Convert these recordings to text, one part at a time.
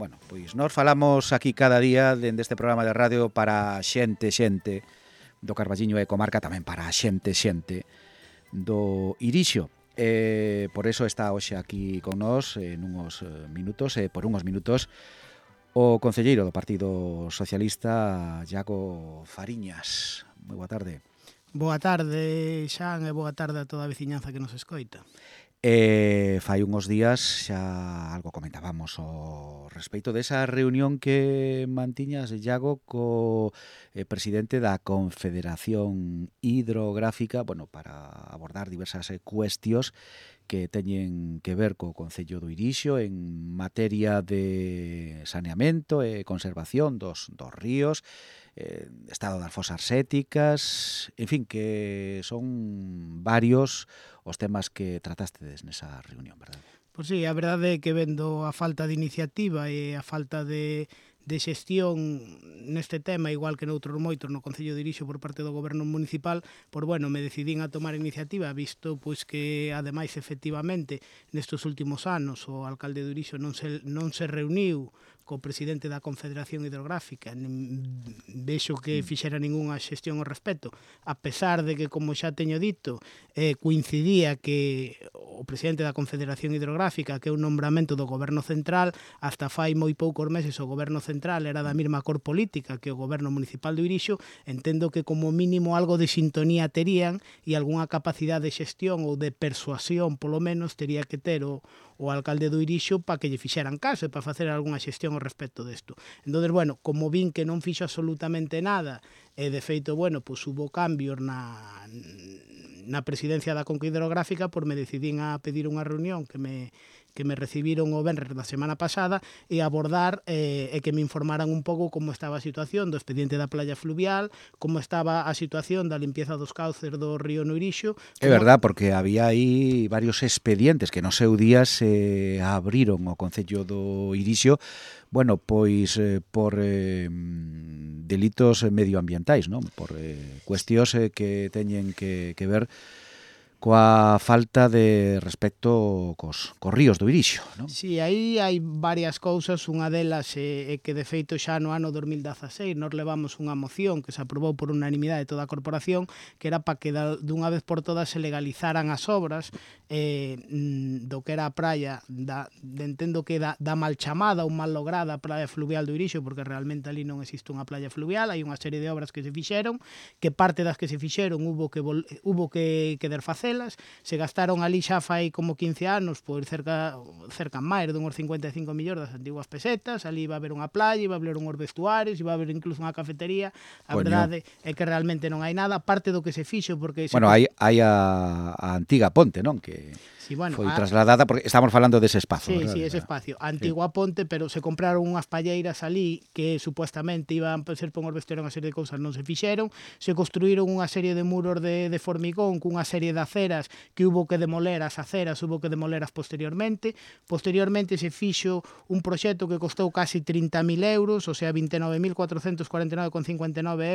Bueno, pois nós falamos aquí cada día dende este programa de radio para xente do Carballiño e comarca, tamén para xente do Irixo. Por eso está hoxe aquí con nós nunhos minutos, por unhos minutos, o concelleiro do Partido Socialista, Iago Fariñas. Moi boa tarde. Boa tarde, Xan, e boa tarde a toda a veciñanza que nos escoita. Fai unhos días xa algo comentábamos ao respecto desa reunión que mantiñas, Iago, co presidente da Confederación Hidrográfica, bueno, para abordar diversas cuestións que teñen que ver co Concello do Irixo en materia de saneamento e conservación dos ríos, estado das fosas séticas, en fin, que son varios os temas que tratastedes nesa reunión, verdade? Pois sí, a verdade é que vendo a falta de iniciativa e a falta de xestión neste tema, igual que noutros moitos no Concello de Irixo por parte do Goberno Municipal, por bueno, me decidín a tomar iniciativa, visto pois que ademais efectivamente nestes últimos anos o alcalde de Irixo non se reuniu co presidente da Confederación Hidrográfica, vexo que fixera ningunha xestión ao respecto, a pesar de que, como xa teño dito, coincidía que o presidente da Confederación Hidrográfica, que é un nombramento do Goberno Central, hasta fai moi poucos meses o Goberno Central era da mesma cor política que o Goberno Municipal do Irixo, entendo que como mínimo algo de sintonía terían e algunha capacidade de xestión ou de persuasión, polo menos, tería que ter o alcalde do Irixo para que lle fixeran caso e para facer algunha xestión ao respecto desto. Entón, bueno, como vin que non fixo absolutamente nada, e de feito, bueno, pois hubo cambios na presidencia da Conca Hidrográfica, por me decidín a pedir unha reunión que me recibiron o venres da semana pasada e abordar e que me informaran un pouco como estaba a situación do expediente da playa fluvial, como estaba a situación da limpieza dos cauces do río no Irixo. É verdad, porque había aí varios expedientes que no seu día se abriron ao Concello do Irixo, bueno, pois por delitos medioambientais, non? Por cuestións que teñen que ver coa falta de respecto cos ríos do Irixo, non? Si, aí hai varias cousas, unha delas é que de feito xa no ano 2016 nos levamos unha moción que se aprobou por unanimidade de toda a corporación, que era para que dunha vez por todas se legalizaran as obras do que era a praia, entendo que da mal chamada ou mal lograda praia fluvial do Irixo, porque realmente ali non existe unha playa fluvial, hai unha serie de obras que se fixeron, que parte das que se fixeron hubo que desfacer. Se gastaron ali xa fai como 15 anos por cerca máis de uns 55 millóns das antiguas pesetas, ali iba a haber unha playa, iba a haber uns vestuarios, iba a haber incluso unha cafetería, a verdade é que realmente non hai nada, parte do que se fixo porque... Bueno, hai a antiga ponte, non? Que sí, bueno, foi trasladada, porque estamos falando dese espazo, sí, verdad? Sí, ese espacio, a antigua ponte, pero se compraron unhas palleiras ali que supuestamente iban a ser por uns vestuarios, unha serie de cousas non se fixeron, se construíron unha serie de muros de formigón cunha serie de aceras que hubo que demoler as aceras, hubo que demoleras posteriormente se fixo un proxecto que costou casi 30.000 euros, o sea, 29.449,59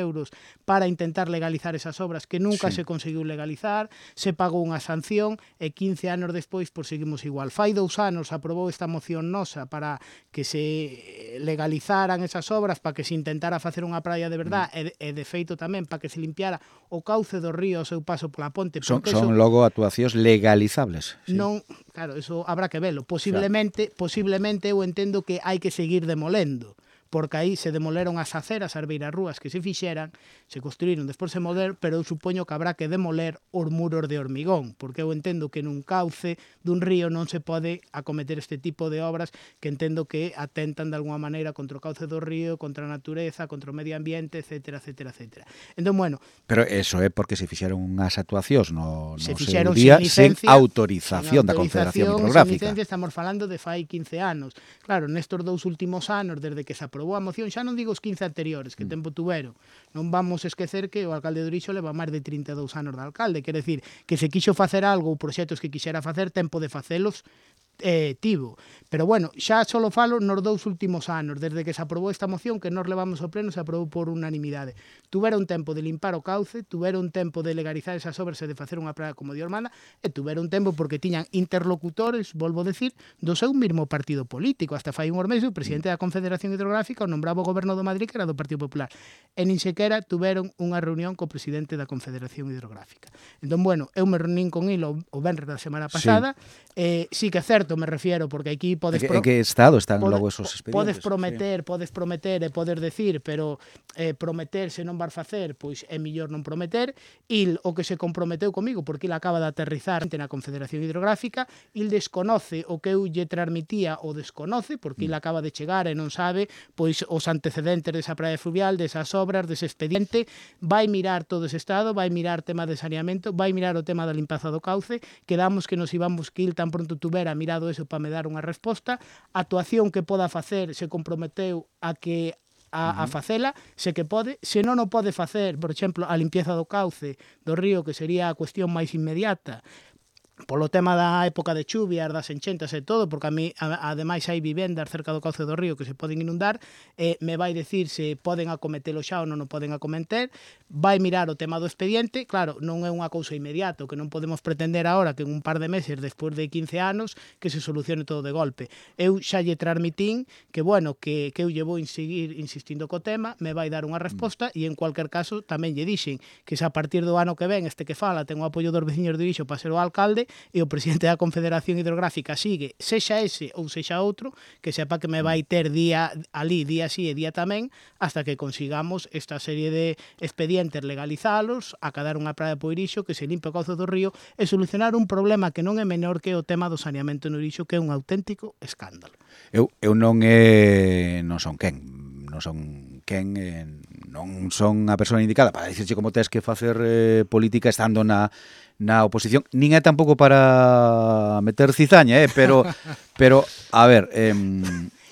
euros para intentar legalizar esas obras que nunca se conseguiu legalizar, se pagou unha sanción e 15 anos despois pois seguimos igual. Fai 2 anos aprobou esta moción nosa para que se legalizaran esas obras, para que se intentara facer unha praia de verdad e de feito tamén para que se limpiara o cauce do río ao seu paso pola ponte. Son logo actuacións legalizables. Sí. Non, claro, eso habrá que velo. Posiblemente eu entendo que hai que seguir demolendo, porque aí se demoleron as aceras, as beirarrúas que se fixeran, se construíron, despois se moler, pero eu supoño que habrá que demoler os muros de hormigón, porque eu entendo que nun cauce dun río non se pode acometer este tipo de obras que entendo que atentan de alguma maneira contra o cauce do río, contra a natureza, contra o medio ambiente, etcétera. Entón, bueno... Pero eso é porque se fixeron unhas actuacións no seu día sen autorización da Confederación Hidrográfica. Estamos falando de fai 15 anos. Claro, nestos 2 últimos anos, desde que se aprobou a moción, xa non digo os 15 anteriores, que tempo tuveron. Non vamos esquecer que o alcalde de Irixo leva máis de 32 anos de alcalde, quer decir, que se quixo facer algo ou proxectos que quixera facer, tempo de facelos tivo. Pero bueno, xa só falo nos 2 últimos anos, desde que se aprobou esta moción que nós levamos ao pleno, se aprobou por unanimidade. Tuveron tempo de limpar o cauce, tuveron tempo de legalizar esas obras e de facer unha praia como Dios manda, e tuveron tempo porque tiñan interlocutores, volvo a decir, do seu mesmo partido político. Hasta fai uns meses o presidente da Confederación Hidrográfica o nombraba o goberno do Madrid, que era do Partido Popular. E nin sequera tuveron unha reunión co presidente da Confederación Hidrográfica. Entón, bueno, eu me reunín con ele o venres da semana pasada. Sí que é certo, me refiero, porque aquí podes... En que estado están logo esos expedientes? Podes prometer e podes decir, pero prometer se non vas facer, pois é millor non prometer. Il o que se comprometeu comigo, porque il acaba de aterrizar na Confederación Hidrográfica, il desconoce o que eu lle transmitía, o desconoce, porque il acaba de chegar e non sabe pois os antecedentes desa praia fluvial, desas obras, dese expediente. Vai mirar todo ese estado, vai mirar tema de saneamento, vai mirar o tema da limpieza do cauce. Quedamos que nos íbamos, que il tan pronto tuvera mirado eso para me dar unha resposta. A actuación que poda facer se comprometeu a que a facela, se que pode, se non o pode facer, por exemplo, a limpieza do cauce do río, que sería a cuestión máis inmediata, polo tema da época de chuvias, das enchentas e todo, porque a mí, ademais, hai vivendas cerca do cauce do río que se poden inundar, me vai decir se poden acometelo xa ou non o poden acometer, vai mirar o tema do expediente. Claro, non é unha cousa inmediata, que non podemos pretender agora que en un par de meses, despois de 15 anos, que se solucione todo de golpe. Eu xa lle transmitín que, bueno, que eu lle vou seguir insistindo co tema, me vai dar unha resposta, e en cualquier caso tamén lle dixen que se a partir do ano que ven este que fala ten o apoio dos veciños de Irixo para ser o alcalde, e o presidente da Confederación Hidrográfica sigue, sexa ese ou sexa outro, que sepa que me vai ter día sí e día tamén, hasta que consigamos esta serie de expedientes, legalizalos, acabar unha praia por Irixo, que se limpe o cauce do río e solucionar un problema que non é menor que o tema do saneamento no Irixo, que é un auténtico escándalo. Eu non son a persoa indicada para dicirche como tes que facer política estando na oposición, nin é tampouco para meter cizaña, pero a ver,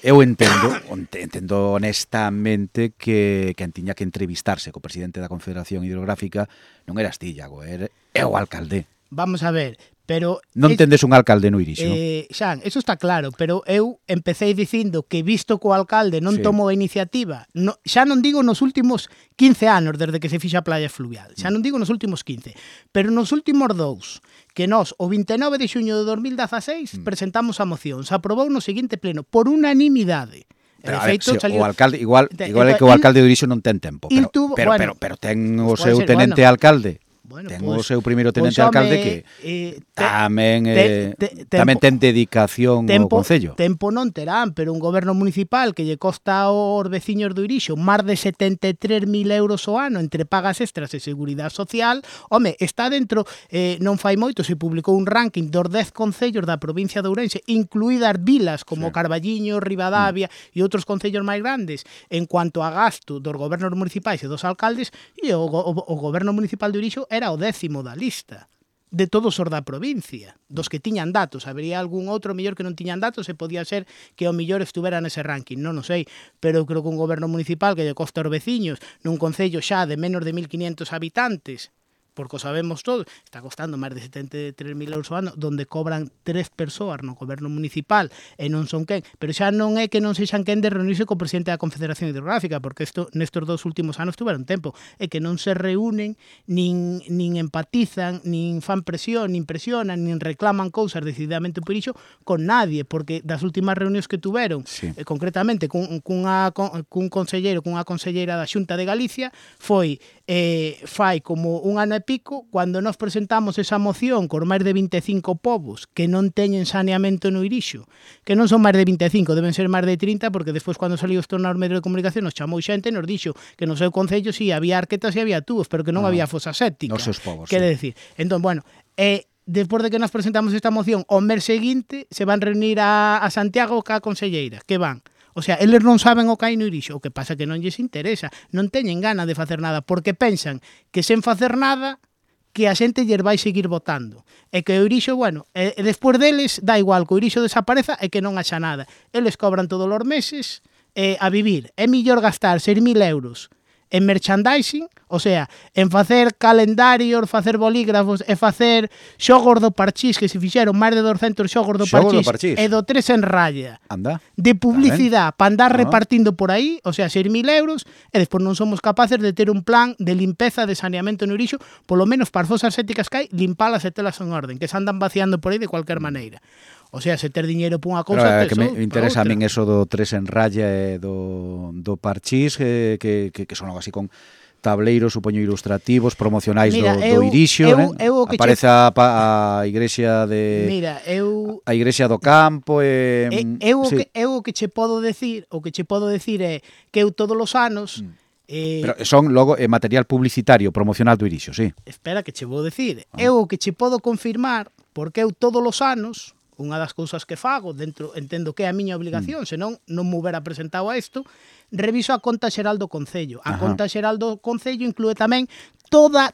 eu entendo honestamente que quen tiña que entrevistarse co presidente da Confederación Hidrográfica non eras ti, Iago, é o alcalde. Vamos a ver, pero... Non tendes un alcalde no Irixo. Xan, eso está claro, pero eu empecé dicindo que visto que o alcalde non tomou a iniciativa, xa non digo nos últimos 15 anos desde que se fixa a playa fluvial, xa non digo nos últimos 15, pero nos últimos 2, que nós, o 29 de xuño de 2016, presentamos a moción, se aprobou no seguinte pleno, por unanimidade. Pero, feito, o alcalde, igual é que o alcalde de Irixo non ten tempo, pero ten o seu tenente alcalde. Bueno, ten o seu primeiro tenente alcalde que tamén ten dedicación ao Concello. Tempo non terán, pero un goberno municipal que lle costa aos veciños do Irixo máis de 73.000 euros ao ano entre pagas extras e seguridade social, home, está dentro, non fai moito, se publicou un ranking dos 10 concellos da provincia de Ourense, incluídas vilas como Carballiño, Ribadavia e outros concellos máis grandes, en cuanto a gasto dos gobernos municipais e dos alcaldes, e o goberno municipal de Irixo era o 10º da lista de todos os da provincia, dos que tiñan datos. Habería algún outro mellor que non tiñan datos e podía ser que o mellor estuvera nese ranking, non o sei, pero eu creo que un goberno municipal que lle costa aos veciños nun concello xa de menos de 1.500 habitantes, porque o sabemos todos, está costando máis de 73.000 euros ao ano, donde cobran 3 persoas no goberno municipal e non son quen, pero xa non é que non sexan quen de reunirse co presidente da Confederación Hidrográfica, porque nestes 2 últimos anos tuveron tempo, é que non se reúnen, nin empatizan, nin fan presión, nin presionan, nin reclaman cousas decididamente por iso con nadie, porque das últimas reunións que tuveron, concretamente cun conselleiro, cunha conselleira da Xunta de Galicia, foi fai como un ano e pico, cando nós presentamos esa moción con máis de 25 povos que non teñen saneamento no Irixo, que non son máis de 25, deben ser máis de 30, porque despois cando saliu isto nos medios de comunicación nos chamou xente e nos dixo que no seu concello si había arquetas e había tubos, pero que non había fosa séptica. Nos seus povos. Quere decir, entón, bueno, despois de que nos presentamos esta moción, o mes seguinte se van reunir a Santiago ca conselleira, que van. O sea, eles non saben o que hai no Irixo, o que pasa que non lles interesa, non teñen gana de facer nada, porque pensan que sen facer nada, que a xente lles vai seguir votando. E que o Irixo, bueno, despois deles, dá igual que o Irixo desapareza e que non haxa nada. Eles cobran todos os meses a vivir. É millor gastar 6.000 euros en merchandising, o sea, en facer calendarios, facer bolígrafos e facer xogos do parchís, que se fixeron máis de 200 xogos do parchís e do 3 en raya. Anda. De publicidade para andar repartindo por aí, o sea, 6.000 euros, e despois non somos capaces de ter un plan de limpeza de saneamento no Irixo, polo menos para as fosas sépticas que hai, limpalas e telas en orden, que se andan vaciando por aí de cualquier maneira. O sea, se ter diñeiro por unha cousa, que me interesa a min eso do 3 en raya e do parchís, que son algo así con tableiros, supoño, ilustrativos, promocionais do Irixo, aparece a igrexa de a igrexa do campo o que che podo decir é que eu todos os anos pero son logo material publicitario, promocional do Irixo, sí. Espera que che vou decir. Eu o que che podo confirmar, porque eu todos os anos, unha das cousas que fago, entendo que é a miña obligación, senón non me hubiera presentado a isto, reviso a conta xeral do Concello. A conta xeral do Concello inclúe tamén toda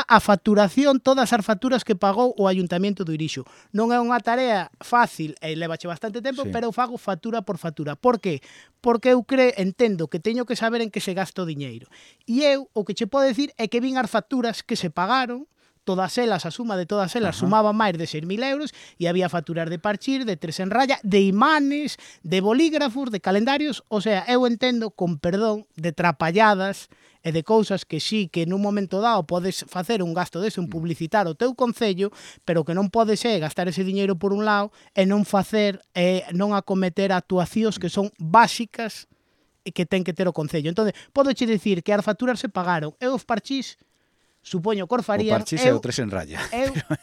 a facturación, todas as facturas que pagou o Ayuntamiento do Irixo. Non é unha tarea fácil e levache bastante tempo, pero eu fago factura por factura. Por qué? Porque eu entendo que teño que saber en que se gasta o diñeiro. E eu o que che podo decir é que vin as facturas que se pagaron, todas elas, a suma de todas elas sumaba máis de 6.000 euros e había facturas de parchís, de 3 en raya, de imanes, de bolígrafos, de calendarios, o sea, eu entendo, con perdón, de trapalladas e de cousas que sí, que nun momento dado podes facer un gasto dese, un publicitar o teu concello, pero que non pode ser gastar ese diñeiro por un lado e non facer, non acometer actuacións que son básicas e que ten que ter o concello. Entón, podo che dicir que as facturas se pagaron e os parchís supoño que farían. O parchís é o 3 en raya.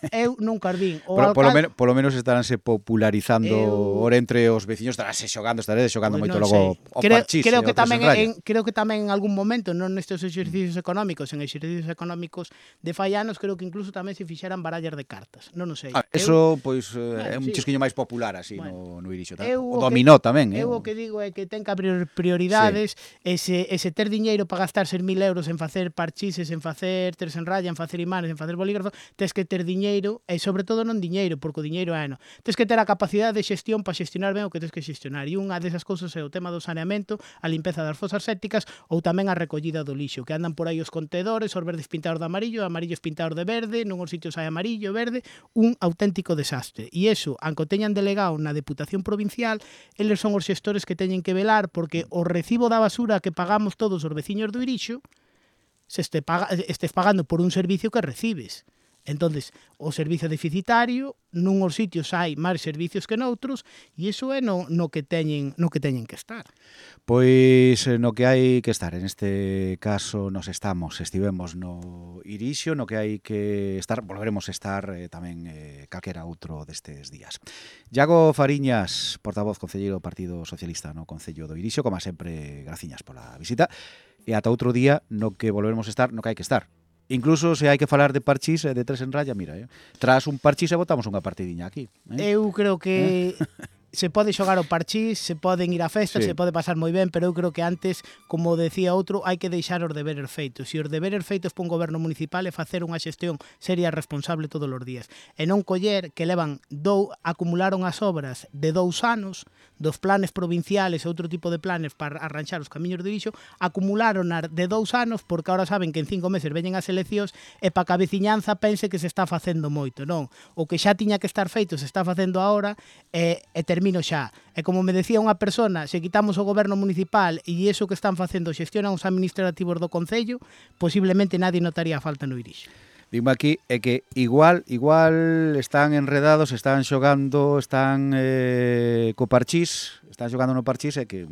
Eu nunca os vin. Polo menos estaránse popularizando ora entre os veciños, estaránse xogando moito logo o parchís. Creo que tamén en algún momento, non nestes exercicios económicos, en exercicios económicos de fai anos, creo que incluso tamén se fixeran barallas de cartas. Non o sei. Eso, pois, é un chisquiño máis popular así no Irixo. O dominó tamén. Eu o que digo é que ten que abrir prioridades, ese ter diñeiro para gastar 6.000 euros en facer parchises, en facer 3 en raya, en facer imanes, en facer bolígrafos, tes que ter diñeiro, e sobre todo non diñeiro, porque o diñeiro é tes que ter a capacidade de xestión para xestionar ben o que tes que xestionar, e unha desas cousas é o tema do saneamento, a limpeza das fosas sépticas ou tamén a recollida do lixo, que andan por aí os contedores, os verdes pintados de amarillo, amarillos pintados de verde, nunhos sitios hai amarillo, verde, un auténtico desastre. E iso, aunque teñan delegado na Deputación Provincial, eles son os xestores que teñen que velar porque o recibo da basura que pagamos todos os veciños do Irixo estés pagando por un servicio que recibes. Entonces, o servicio deficitario, nunhos sitios hai máis servicios que noutros, e iso é no que teñen que estar. Pois no que hai que estar, en este caso estivemos no Irixo, no que hai que estar, volveremos a estar tamén calquera outro destes días. Iago Fariñas, portavoz concelleiro do Partido Socialista no Concello do Irixo, como sempre, graciñas pola visita, e ata outro día no que volveremos a estar, no que hai que estar. Incluso se hai que falar de parchís e de 3 en raya, mira, tras un parchís e botamos unha partidiña aquí. Eu creo que se pode xogar o parchís, se poden ir a festas, se pode pasar moi ben, pero eu creo que antes, como decía outro, hai que deixar os deberes feitos. E os deberes feitos por un goberno municipal é facer unha xestión seria e responsable todos os días. E non coller que acumularon as obras de 2 anos, dos planes provinciales e outro tipo de planes para arranxar os camiños do Irixo, acumularon de 2 anos porque ahora saben que en 5 meses veñen as eleccións e para que a veciñanza pense que se está facendo moito, non? O que xa tiña que estar feito se está facendo ahora e termino xa. E como me decía unha persona, se quitamos o goberno municipal e iso que están facendo xestionan os administrativos do Concello, posiblemente nadie notaría a falta no Irixo. Dime aquí é que igual están enredados, están xogando, están co parchís, están xogando no parchís e que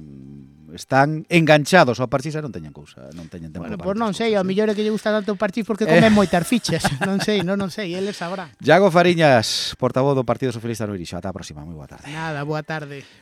están enganchados ao parchís e non teñen cousa, non teñen tempo. Bueno, pois non sei, ao mellor é que lle gusta tanto o parchís porque comen moitas fichas, non sei, eles sabrán. Iago Fariñas, portavoz do Partido Socialista no Irixo, ata a próxima, moi boa tarde. Nada, boa tarde.